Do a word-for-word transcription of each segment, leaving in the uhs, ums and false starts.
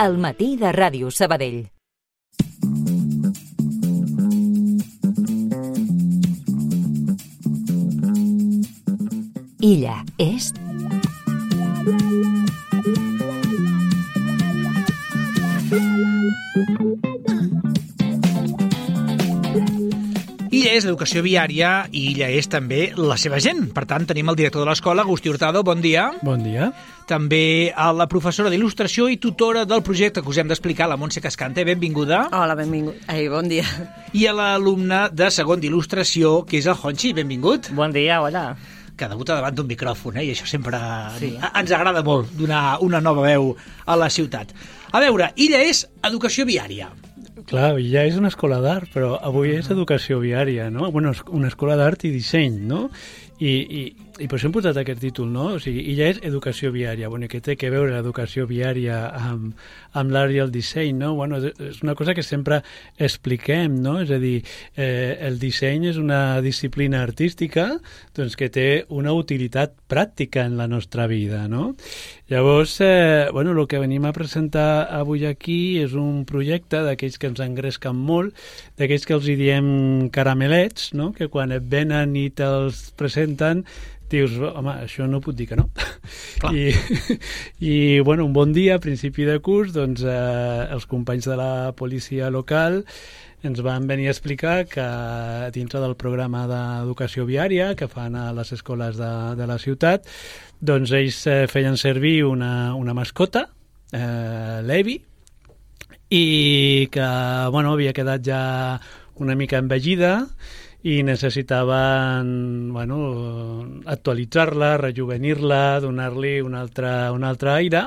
al matí de Ràdio Sabadell. Illa est... Illa és l'educació viària i Illa és també la seva gent. Per tant, tenim el director de l'escola, Agustí Hurtado. Bon dia. Bon dia. També a la professora d'il·lustració i tutora del projecte que us hem d'explicar, la Montse Cascante. Benvinguda. Hola, benvingut. Ai, bon dia. I a l'alumne de segon d'il·lustració, que és el Honchi. Benvingut. Bon dia, hola. Que debuta davant d'un micròfon, eh? I això sempre sí. ens agrada molt, donar una nova veu a la ciutat. A veure, Illa és educació viària. Clar, ja és una escola d'art, però avui és educació viària, no? Bueno, una escola d'art i disseny, no? I, i, i per això hem posat aquest títol, no? O sigui, ja és educació viària. Bueno, què té que veure l'educació viària amb, amb l'art i el disseny, no? Bueno, és una cosa que sempre expliquem, no? És a dir, eh, el disseny és una disciplina artística doncs, que té una utilitat pràctica en la nostra vida, no? Llavors, eh, bueno, el que venim a presentar avui aquí és un projecte d'aquells que ens engresquen molt, d'aquells que els hi diem caramelets, no? Que quan et venen i te'ls presenten dius, home, això no puc dir que no. I, i, bueno, un bon dia, a principi de curs, doncs, eh, els companys de la policia local ens van venir a explicar que dintre del programa d'educació viària que fan a les escoles de, de la ciutat, doncs ells eh, feien servir una, una mascota, eh, l'Evi, i que, bueno, havia quedat ja una mica envellida, i necessitaven, bueno, actualitzar-la, rejuvenir-la, donar-li un altre, un altre aire,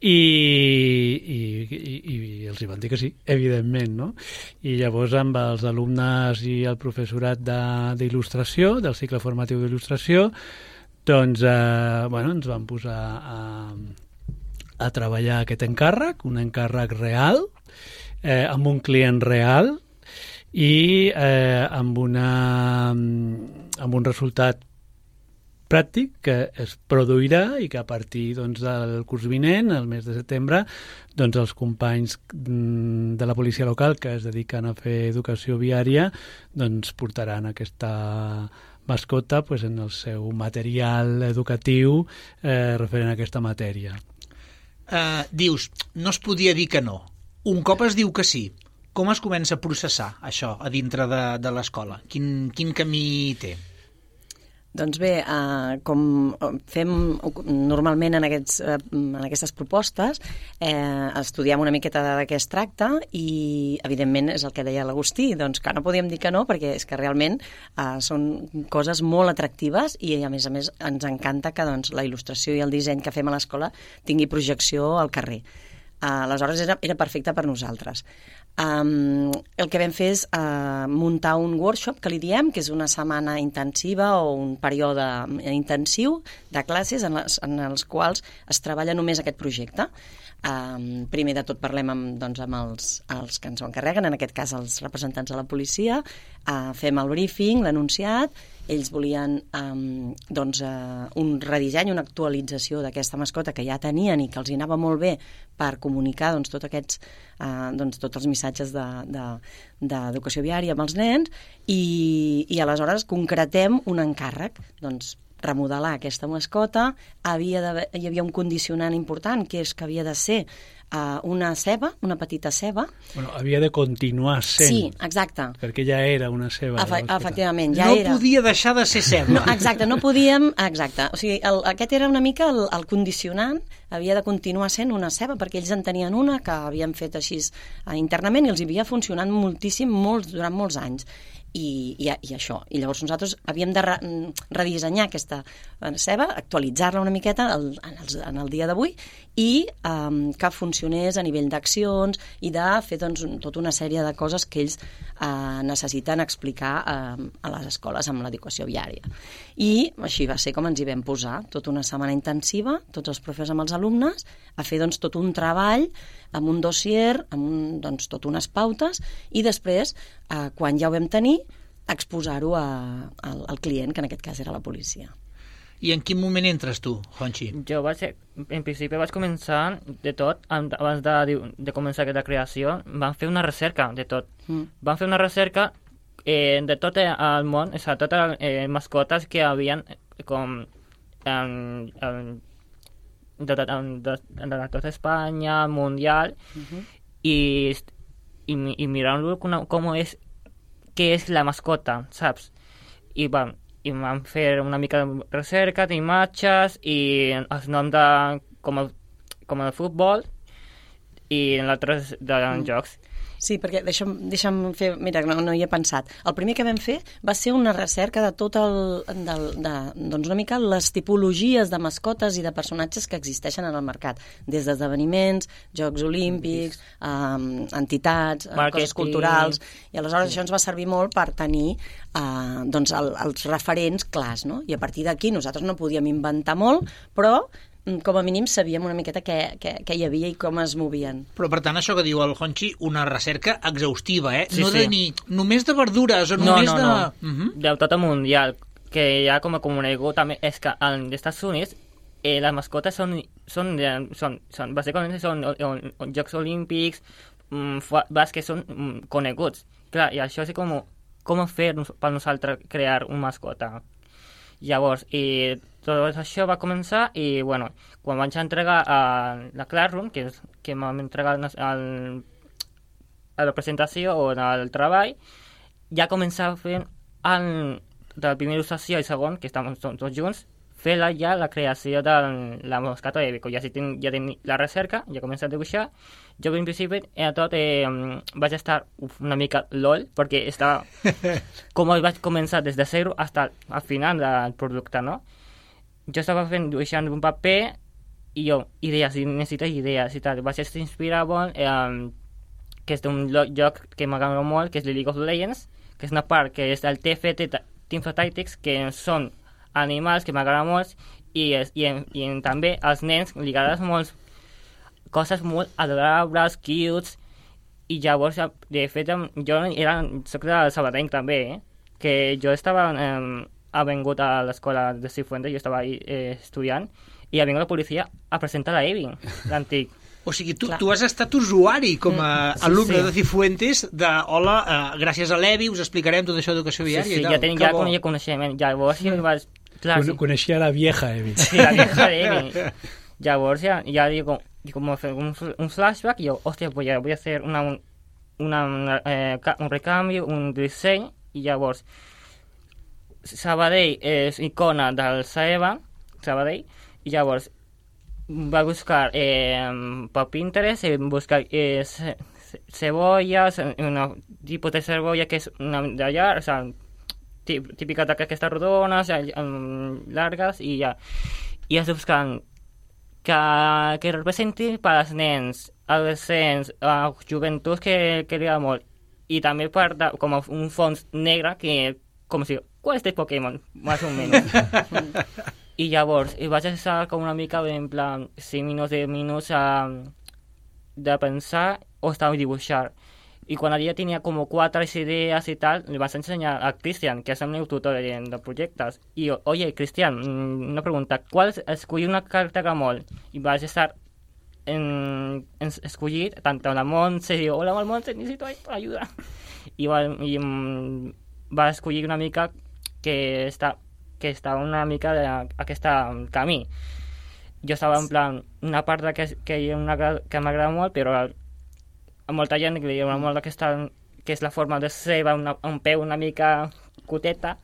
i, i, i, i els hi van dir que sí, evidentment, no? I llavors amb els alumnes i el professorat d'il·lustració, de, del cicle formatiu d'il·lustració, doncs, eh, bueno, ens van posar a, a treballar aquest encàrrec, un encàrrec real, eh, amb un client real, i eh, amb, una, amb un resultat pràctic que es produirà i que a partir doncs, del curs vinent, el mes de setembre, doncs, els companys de la policia local que es dediquen a fer educació viària doncs, portaran aquesta mascota pues, en el seu material educatiu eh, referent a aquesta matèria. Uh, dius, no es podia dir que no. Un cop es diu que sí. Com es comença a processar això a dintre de, de l'escola? Quin, quin camí té? Doncs bé, eh, com fem normalment en, aquests, eh, en aquestes propostes, eh, estudiem una miqueta de què es tracta i, evidentment, és el que deia l'Agustí, doncs que no podíem dir que no, perquè és que realment eh, són coses molt atractives i, a més a més, ens encanta que doncs, la il·lustració i el disseny que fem a l'escola tingui projecció al carrer. Uh, aleshores era, era perfecte per nosaltres. Um, el que vam fer és uh, muntar un workshop, que li diem, que és una setmana intensiva o un període intensiu de classes en, les, en els quals es treballa només aquest projecte. Um, primer de tot parlem amb, doncs, amb els, els que ens ho encarreguen, en aquest cas els representants de la policia, uh, fem el briefing, l'anunciat, ells volien um, doncs, uh, un redisseny, una actualització d'aquesta mascota que ja tenien i que els hi anava molt bé per comunicar doncs, tot aquests, uh, doncs, tots els missatges d'educació de, de, viària amb els nens i, i aleshores concretem un encàrrec, doncs remodelar aquesta mascota, havia de, hi havia un condicionant important, que és que havia de ser uh, una ceba, una petita ceba. Bueno, havia de continuar sent. Sí, exacte. Perquè ja era una ceba. Efe, efectivament, ja no era. No podia deixar de ser ceba. No, exacte, no podíem... Exacte. O sigui, el, aquest era una mica el, el condicionant, havia de continuar sent una ceba, perquè ells en tenien una que havien fet així uh, internament i els havia funcionat moltíssim, molts, durant molts anys. I, i, i això. I llavors nosaltres havíem de re, redissenyar aquesta ceba, actualitzar-la una miqueta el, en, el, en el dia d'avui i um, que funcionés a nivell d'accions i de fer doncs, tota una sèrie de coses que ells uh, necessiten explicar uh, a les escoles amb l'educació viària. I així va ser com ens hi vam posar, tota una setmana intensiva, tots els professors amb els alumnes, a fer doncs, tot un treball amb un dossier, amb un, doncs, tot unes pautes, i després, eh, quan ja ho vam tenir, exposar-ho al client, que en aquest cas era la policia. I en quin moment entres tu, Honchi? Jo vaig ser, en principi vaig començar de tot, abans de, de començar aquesta creació, vam fer una recerca de tot. Mm. Vam fer una recerca eh, de tot el món, o sigui, totes les eh, mascotes que havien com en, en, de, de, de, de tota Espanya, mundial, mm-hmm. i, i, i mirant-lo com, com és, què és la mascota, saps? I vam, i vam fer una mica de recerca d'imatges i els noms de, com, el, com el futbol i en altres de mm. jocs. Sí, perquè deixa'm, deixa'm fer... Mira, no, no hi he pensat. El primer que vam fer va ser una recerca de tot el... Del, de, doncs una mica les tipologies de mascotes i de personatges que existeixen en el mercat. Des d'esdeveniments, Jocs Olímpics, um, entitats, Marketing. Coses culturals... I aleshores això ens va servir molt per tenir uh, doncs el, els referents clars, no? I a partir d'aquí nosaltres no podíem inventar molt, però com a mínim sabíem una miqueta què, què, què hi havia i com es movien. Però per tant això que diu el Honchi, una recerca exhaustiva, eh? Sí, no sí. de ni només de verdures o no, només no, de... No, uh -huh. de tot el mundial, que ja com a conegut també és que als Estats Units eh, les mascotes són, són, són, són bàsicament són o, o, Jocs Olímpics, mm, bàsquet són mm, coneguts. Clar, i això és com, com fer per nosaltres crear una mascota. Llavors, i tot això va començar i, bueno, quan vaig entregar a la Classroom, que, és, que m'han entregat al, a la presentació o al treball, ja començava fent el, de la primera il·lustració i segon, que estàvem tots junts, fer la, ja la creació de la mascota de Vico. Ja, si ten, ja tenc la recerca, ja començat a dibuixar. Jo, en principi, a tot eh, vaig estar uf, una mica lol, perquè estava... com vaig començar des de zero fins al final del producte, no? Jo estava fent, dibuixant un paper i jo, idees, i necessito idees i tal. Vaig inspirar molt, eh, que és d'un joc que m'agrada molt, que és League of Legends, que és una part que és el T F T, Teamfight Tactics, que són animals que m'agraden molt i, i, i, i també als nens li agraden molt coses molt adorables, cutes, i llavors, de fet, jo era, soc de Sabadell també, eh? Que jo estava eh, ha vingut a l'escola de Cifuentes, jo estava ahí eh, estudiant, i ha vingut la policia a presentar la Evi, l'antic. O sigui, tu, tu has estat usuari com a sí, alumne sí. de Cifuentes de, hola, uh, gràcies a l'Evi us explicarem tot això d'educació viària sí, sí, i tal. Ja tenia ja coneixia coneixement. Llavors ja vaig... Clar, Con, coneixia la vieja Evi. Sí, la vieja Evi. Llavors ja, ja digo, como un, un flashback y yo, hostia, pues ya voy a hacer una, una, una eh, un recambio, un diseño, y llavors Sabadell és icona del Saeva, Sabadell, i llavors va buscar eh, per Pinterest, eh, buscar eh, ce cebollas, un tipus de cebolla que és una d'allà, o sea, típica d'aquestes rodones, um, largues, i ja. I es buscant que, que representi per als nens, adolescents, uh, joventuts que, que li agrada molt. I també per da, com un fons negre que, com si, qual és de Pokémon? Más o menos. I llavors, i vaig estar com una mica, en plan, cinc minuts, deu minuts uh, de pensar o estar a dibuixar. Y cuando ya tenía como cuatro ideas y tal, le vas a enseñar a Cristian, que es el meu tutor de, de proyectos. Y yo, oye, Cristian, una pregunta, ¿cuál es escollir una carta Gamol? Y vas a estar en, en escollir tanto la Montse, y digo, hola, Montse, necesito ayuda. Y, va, y um, va a escollir una mica que està, que està una mica d'aquesta camí. Jo estava en plan, una part que, que, una, que m'agrada molt, però a molta gent que li diuen molt aquesta, que és la forma de ceba, una, un peu una mica cuteta,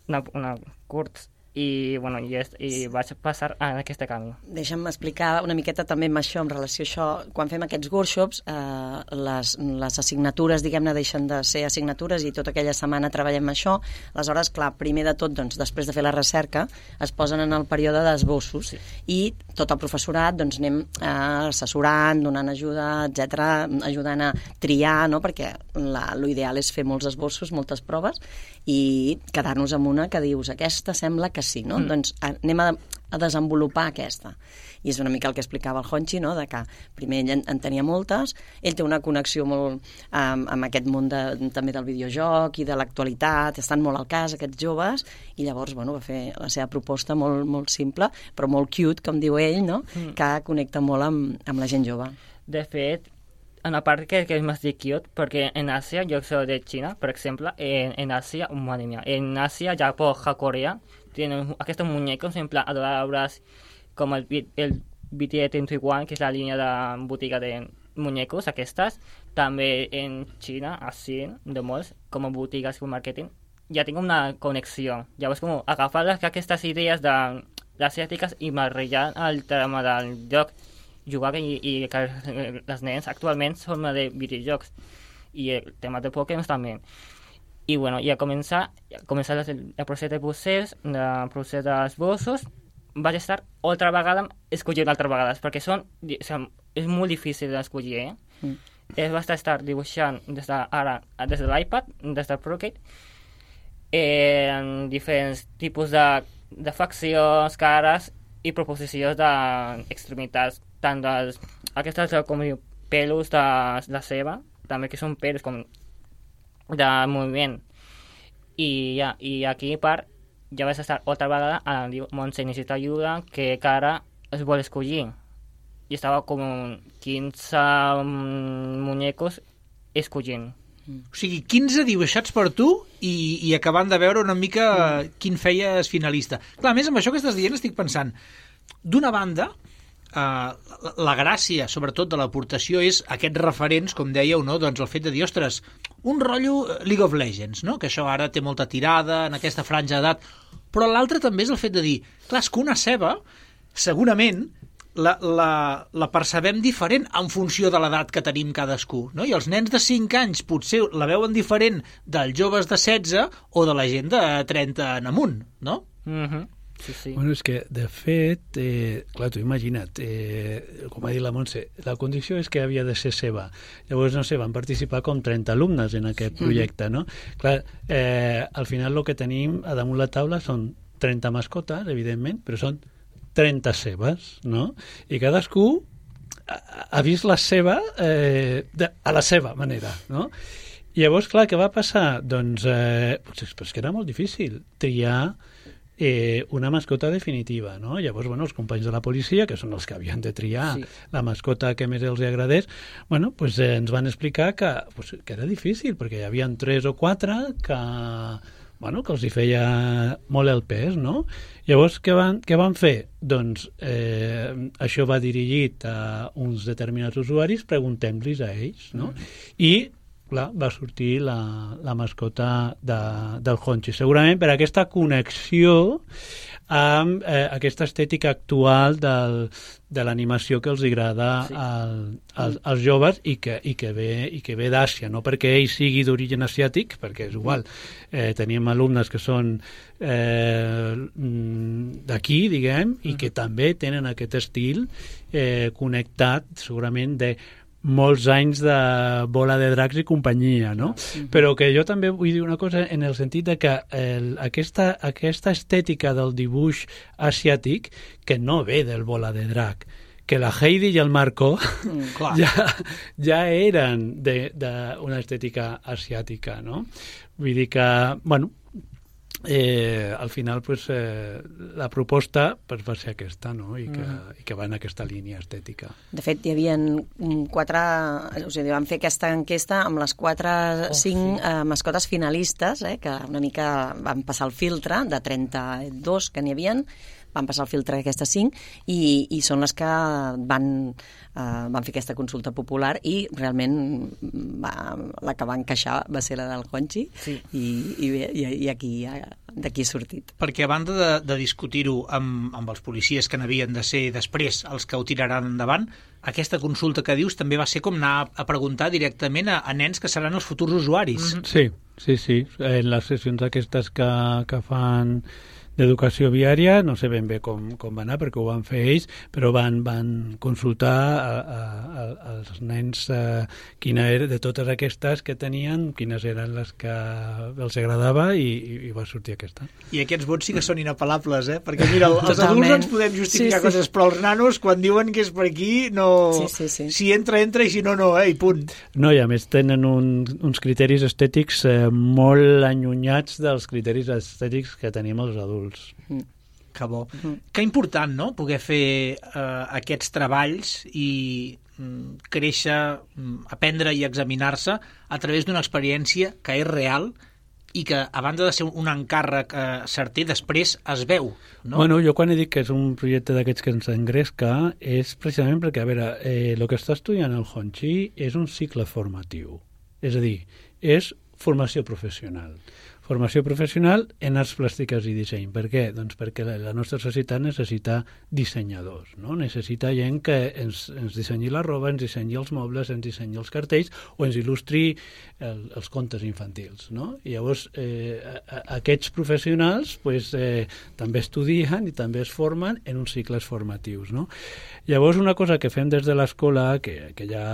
una, una curt, i, bueno, i, és, i vaig passar a aquest camí. Deixa'm explicar una miqueta també amb això, en relació a això. Quan fem aquests workshops, eh, les, les assignatures, diguem-ne, deixen de ser assignatures i tota aquella setmana treballem això. Aleshores, clar, primer de tot, doncs, després de fer la recerca, es posen en el període d'esbossos, sí. I tot el professorat, doncs, anem eh, assessorant, donant ajuda, etcètera, ajudant a triar, no?, perquè l'ideal és fer molts esbossos, moltes proves, i quedar-nos amb una que dius, aquesta sembla que que sí, no? Mm. Doncs anem a, a desenvolupar aquesta. I és una mica el que explicava el Honchi, no? De que primer ell en, en tenia moltes, ell té una connexió molt amb, amb aquest món de, també del videojoc i de l'actualitat, estan molt al cas aquests joves, i llavors bueno, va fer la seva proposta molt, molt simple, però molt cute, com diu ell, no? Mm. Que connecta molt amb, amb la gent jove. De fet, una part que, que és més de cute, perquè en Àsia, jo soy de Xina, per exemple, en, en Àsia, madre mía, en Àsia, Japó, Corea, tenen aquests muñecos en plan adorables, com el, el B T S trenta-un, que és la línia de botiga de muñecos, aquestes. També en Xina, així, de molts, com a botigues com màrqueting, ja tinc una connexió. Llavors, com agafar les, aquestes idees de les asiàtiques i barrejar el tema del joc, jugar i, i que les nens actualment són de videojocs i el tema de Pokémon també. I bueno, ja començar, ja començar el, el procés de procés, el procés dels bossos, vaig estar altra vegada escollint altres vegades, perquè són, o sigui, és molt difícil d'escollir, eh? Mm. Es va estar dibuixant des de, ara, des de l'iPad, des del Procreate, eh, en diferents tipus de, de faccions, cares i proposicions d'extremitats, tant dels, aquestes com diu, pelos de la ceba, també que són pelos com de moviment. I, ja, i aquí part ja vas estar altra vegada a diu, Montse necessita ajuda, que cara es vol escollir. I estava com quinze muñecos escollint. O sigui, quinze dibuixats per tu i, i acabant de veure una mica mm. quin feies finalista. Clar, a més, amb això que estàs dient estic pensant, d'una banda, eh, la, la gràcia, sobretot, de l'aportació és aquests referents, com dèieu, no? Doncs el fet de dir, ostres, un rotllo League of Legends, no? Que això ara té molta tirada en aquesta franja d'edat, però l'altre també és el fet de dir, clar, és que una ceba, segurament, la, la, la percebem diferent en funció de l'edat que tenim cadascú, no? I els nens de cinc anys potser la veuen diferent dels joves de setze o de la gent de trenta en amunt, no? Mhm. Sí, sí. Bueno, és que, de fet, eh, clar, tu imagina't, eh, com ha dit la Montse, la condició és que havia de ser seva. Llavors, no sé, van participar com trenta alumnes en aquest projecte, no? Clar, eh, al final el que tenim a damunt la taula són trenta mascotes, evidentment, però són trenta cebes, no? I cadascú ha, ha vist la seva eh, de, a la seva manera, no? I llavors, clar, què va passar? Doncs, eh, pues, pues que era molt difícil triar Eh, una mascota definitiva, no? Llavors, bueno, els companys de la policia, que són els que havien de triar sí. la mascota que més els agradés, bueno, pues, eh, ens van explicar que, pues, que era difícil, perquè hi havia tres o quatre que, bueno, que els hi feia molt el pes, no? Llavors, què van, què van fer? Doncs eh, això va dirigit a uns determinats usuaris, preguntem-los a ells, no? Mm. I clar, va sortir la, la mascota de, del Honchi. Segurament per aquesta connexió amb eh, aquesta estètica actual del, de l'animació que els agrada sí. al, als, als joves i que, i que ve, i que ve d'Àsia, no perquè ell sigui d'origen asiàtic, perquè és igual. Eh, teníem alumnes que són eh, d'aquí, diguem, i que també tenen aquest estil eh, connectat, segurament, de molts anys de Bola de Dracs i companyia, no? Uh-huh. Però que jo també vull dir una cosa en el sentit de que el, aquesta, aquesta estètica del dibuix asiàtic que no ve del Bola de Drac, que la Heidi i el Marco mm, ja, ja eren d'una estètica asiàtica, no? Vull dir que, bueno, Eh, al final pues, eh, la proposta pues, va ser aquesta, no? I, que, mm. i que va en aquesta línia estètica. De fet, hi havia quatre, o sigui, vam fer aquesta enquesta amb les quatre, oh, cinc sí. eh, mascotes finalistes, eh, que una mica van passar el filtre de trenta-dos que n'hi havien, van passar el filtre d'aquestes cinc i, i són les que van, uh, van fer aquesta consulta popular i realment va, la que va encaixar va ser la del Honchi sí. i, i, i aquí d'aquí ha sortit. Perquè a banda de, de discutir-ho amb, amb els policies que n'havien de ser després els que ho tiraran endavant, aquesta consulta que dius també va ser com anar a preguntar directament a, a nens que seran els futurs usuaris. Mm-hmm. Sí, sí, sí. En les sessions aquestes que, que fan d'educació viària, no sé ben bé com, com va anar, perquè ho van fer ells, però van, van consultar a, a, a, als nens eh, quina era, de totes aquestes que tenien, quines eren les que els agradava i, i va sortir aquesta. I aquests vots sí que són inapel·lables, eh? Perquè mira, els Totalment. adults ens podem justificar sí, sí. coses, però els nanos, quan diuen que és per aquí, no... Sí, sí, sí. Si entra, entra, i si no, no, eh? I punt. No, i a més tenen un, uns criteris estètics eh, molt allunyats dels criteris estètics que tenim els adults. Mm. Que bo. Mm. Que important, no?, poder fer eh, aquests treballs i mm, créixer, mm, aprendre i examinar-se a través d'una experiència que és real i que, a banda de ser un encàrrec eh, certer, després es veu, no? Bueno, jo quan he dit que és un projecte d'aquests que ens engresca és precisament perquè, a veure, eh, el que està estudiant el Honchi és un cicle formatiu. És a dir, és formació professional. Formació professional en arts plàstiques i disseny. Per què? Doncs perquè la nostra societat necessita dissenyadors, no? Necessita gent que ens, ens dissenyi la roba, ens dissenyi els mobles, ens dissenyi els cartells o ens il·lustri el, els contes infantils, no? I llavors eh, a, a, aquests professionals pues, eh, també estudien i també es formen en uns cicles formatius, no? Llavors una cosa que fem des de l'escola, que, que ja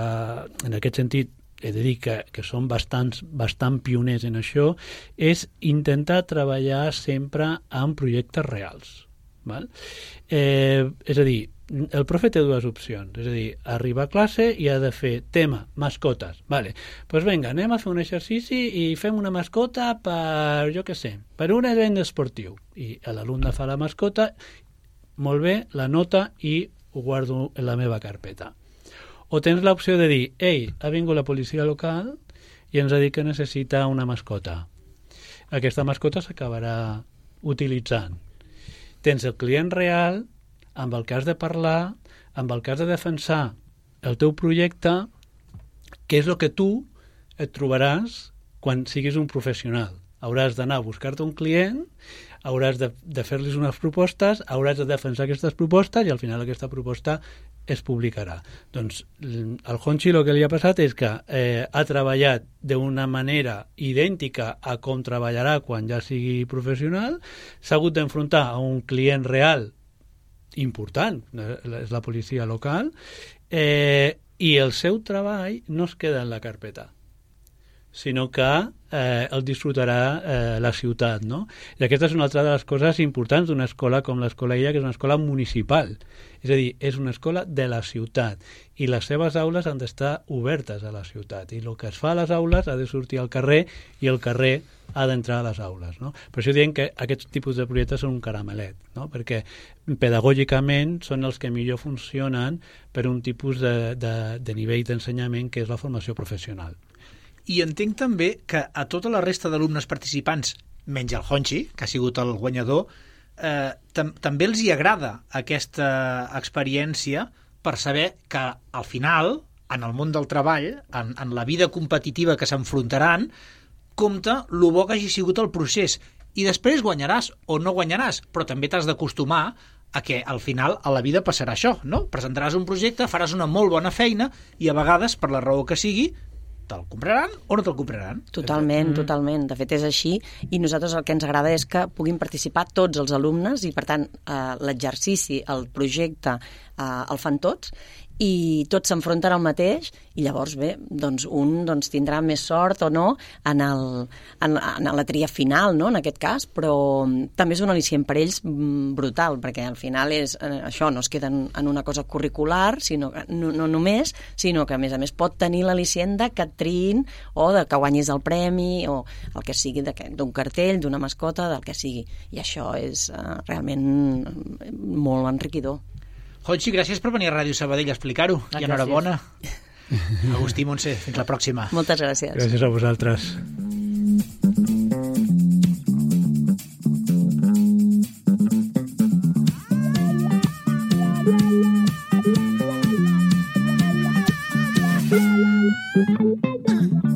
en aquest sentit he de dir que, que són bastants, bastant pioners en això, és intentar treballar sempre en projectes reals. Val? Eh, és a dir, el profe té dues opcions, és a dir, arriba a classe i ha de fer tema, mascotes. Vale. Pues vinga, anem a fer un exercici i fem una mascota per, jo què sé, per un event esportiu. I l'alumne fa la mascota, molt bé, la nota i ho guardo en la meva carpeta. O tens l'opció de dir, ei, ha vingut la policia local i ens ha dit que necessita una mascota. Aquesta mascota s'acabarà utilitzant. Tens el client real, amb el que has de parlar, amb el que has de defensar el teu projecte, que és el que tu et trobaràs quan siguis un professional. Hauràs d'anar a buscar-te un client, hauràs de, de fer-los unes propostes, hauràs de defensar aquestes propostes i al final aquesta proposta es publicarà. Doncs al Honchi el que li ha passat és que eh, ha treballat d'una manera idèntica a com treballarà quan ja sigui professional, s'ha hagut d'enfrontar a un client real important, és la policia local, eh, i el seu treball no es queda en la carpeta, sinó que eh, el disfrutarà eh, la ciutat, no? I aquesta és una altra de les coses importants d'una escola com l'Escola Illa, que és una escola municipal. És a dir, és una escola de la ciutat i les seves aules han d'estar obertes a la ciutat i el que es fa a les aules ha de sortir al carrer i el carrer ha d'entrar a les aules, no? Per això diem que aquests tipus de projectes són un caramelet, no? Perquè pedagògicament són els que millor funcionen per un tipus de, de, de nivell d'ensenyament que és la formació professional. I entenc també que a tota la resta d'alumnes participants, menys el Honchi, que ha sigut el guanyador, eh, tam també els hi agrada aquesta experiència per saber que al final, en el món del treball, en, en la vida competitiva que s'enfrontaran, compta lo bo que hagi sigut el procés. I després guanyaràs o no guanyaràs, però també t'has d'acostumar a que al final a la vida passarà això, no? Presentaràs un projecte, faràs una molt bona feina i a vegades, per la raó que sigui, te'l compraran o no te'l compraran? Totalment, mm. totalment. De fet, és així. I nosaltres el que ens agrada és que puguin participar tots els alumnes i, per tant, eh, l'exercici, el projecte, eh, el fan tots i tots s'enfronten al mateix i llavors, bé, doncs un doncs, tindrà més sort o no en, el, en, en la tria final, no?, en aquest cas, però també és un al·licient per ells brutal, perquè al final és eh, això, no es queda en, en una cosa curricular, sinó que, no, no només, sinó que a més a més pot tenir l'al·licient de que et triïn o de que guanyis el premi o el que sigui d'un cartell, d'una mascota, del que sigui. I això és eh, realment molt enriquidor. Honchi, gràcies per venir a Ràdio Sabadell a explicar-ho. Ah, I enhorabona. Agustí Montse, fins la pròxima. Moltes gràcies. Gràcies a vosaltres. Uh.